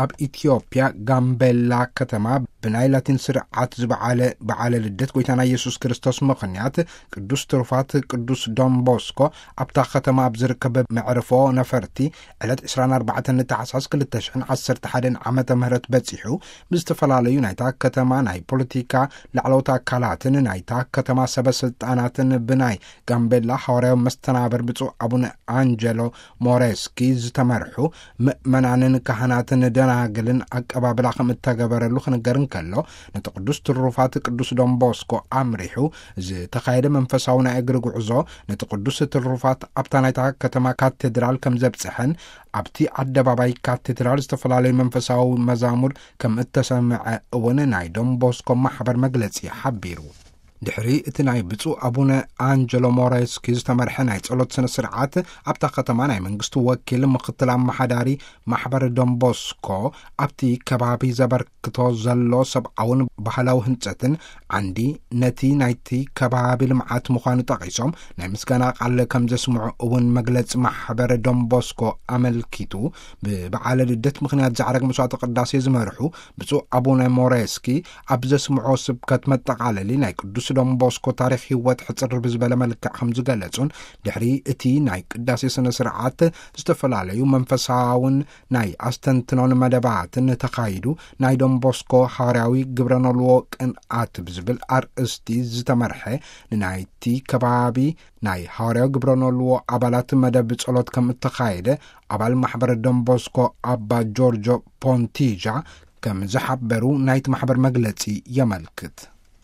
ኣብ ኢትዮጵያ ጋምቤላ ከተማ ብናይ ላቲን ስርዓት ዝበዓለ በዓለ ልደት ጎይታና ኢየሱስ ክርስቶስ ምኽንያት ቅዱስ ትሩፋት ቅዱስ ዶን ቦስኮ ኣብታ ከተማ ኣብ ዝርከብ መዕርፎ ነፈርቲ ዕለት ዕስራን ኣርባዕተን ታሕሳስ ክልተ ሽሕን ዓሰርተ ሓደን ዓመተ ምህረት በጺሑ፣ ብዝተፈላለዩ ናይታ ከተማ ናይ ፖለቲካ ላዕለዎት ኣካላትን ናይታ ከተማ ሰበ ስልጣናትን ብናይ ጋምቤላ ሃዋርያዊ መስተናብር ብፁዕ ኣቡነ ኣንጀሎ ሞሬስኪ ዝተመርሑ ምእመናንን ካህናትን ደናግልን ኣቀባብላ ከም እተገበረሉ ክንገር እንከሎ፣ ነቲ ቅዱስ ትሩፋት ቅዱስ ዶን ቦስኮ ኣምሪሑ ዝተኻየደ መንፈሳዊ ናይ እግሪ ጉዕዞ፣ ነቲ ቅዱስ ትሩፋት ኣብታ ናይታ ከተማ ካቴድራል ከም ዘብጽሐን ኣብቲ ኣደባባይ ካቴድራል ዝተፈላለዩ መንፈሳዊ መዛሙር ከም እተሰምዐ እውን ናይ ዶን ቦስኮ ማሕበር መግለጺ ሓቢሩ። ድሕሪ እቲ ናይ ብፁዕ ኣቡነ ኣንጀሎ ሞሬስኪ ዝተመርሐ ናይ ጸሎት ስነ ስርዓት፣ ኣብታ ከተማ ናይ መንግስቲ ወኪል ምኽትል ኣመሓዳሪ ማሕበር ዶን ቦስኮ ኣብቲ ከባቢ ዘበርክቶ ዘሎ ሰብኣውን ባህላዊ ህንጸትን ዓንዲ ነቲ ናይቲ ከባቢ ልምዓት ምዃኑ ጠቒሶም፣ ናይ ምስጋና ቃል ከም ዘስምዑ እውን መግለጺ ማሕበር ዶን ቦስኮ ኣመልኪቱ። ብበዓለ ልደት ምኽንያት ዛዕረግ መስዋዕተ ቅዳሴ ዝመርሑ ብፁዕ ኣቡነ ሞሬስኪ ኣብ ዘስምዖ ስብከት መጠቓለሊ ናይ ቅዱስ ዶን ቦስኮ ታሪኽ ህይወት ሕጽር ብዝበለ መልክዕ ከም ዝገለጹን፣ ድሕሪ እቲ ናይ ቅዳሴ ስነ ስርዓት ዝተፈላለዩ መንፈሳውን ናይ ኣስተንትኖን መደባትን ተኻይዱ፣ ናይ ዶን ቦስኮ ሃዋርያዊ ግብረ ኖልዎ ቅንኣት ብዝብል ኣርእስቲ ዝተመርሐ ንናይቲ ከባቢ ናይ ሃዋርያዊ ግብረ ኖልዎ ኣባላት መደብ ጸሎት ከም እተኻየደ ኣባል ማሕበር ዶን ቦስኮ ኣባ ጆርጆ ፖንቲጃ ከም ዝሓበሩ ናይቲ ማሕበር መግለጺ የመልክት።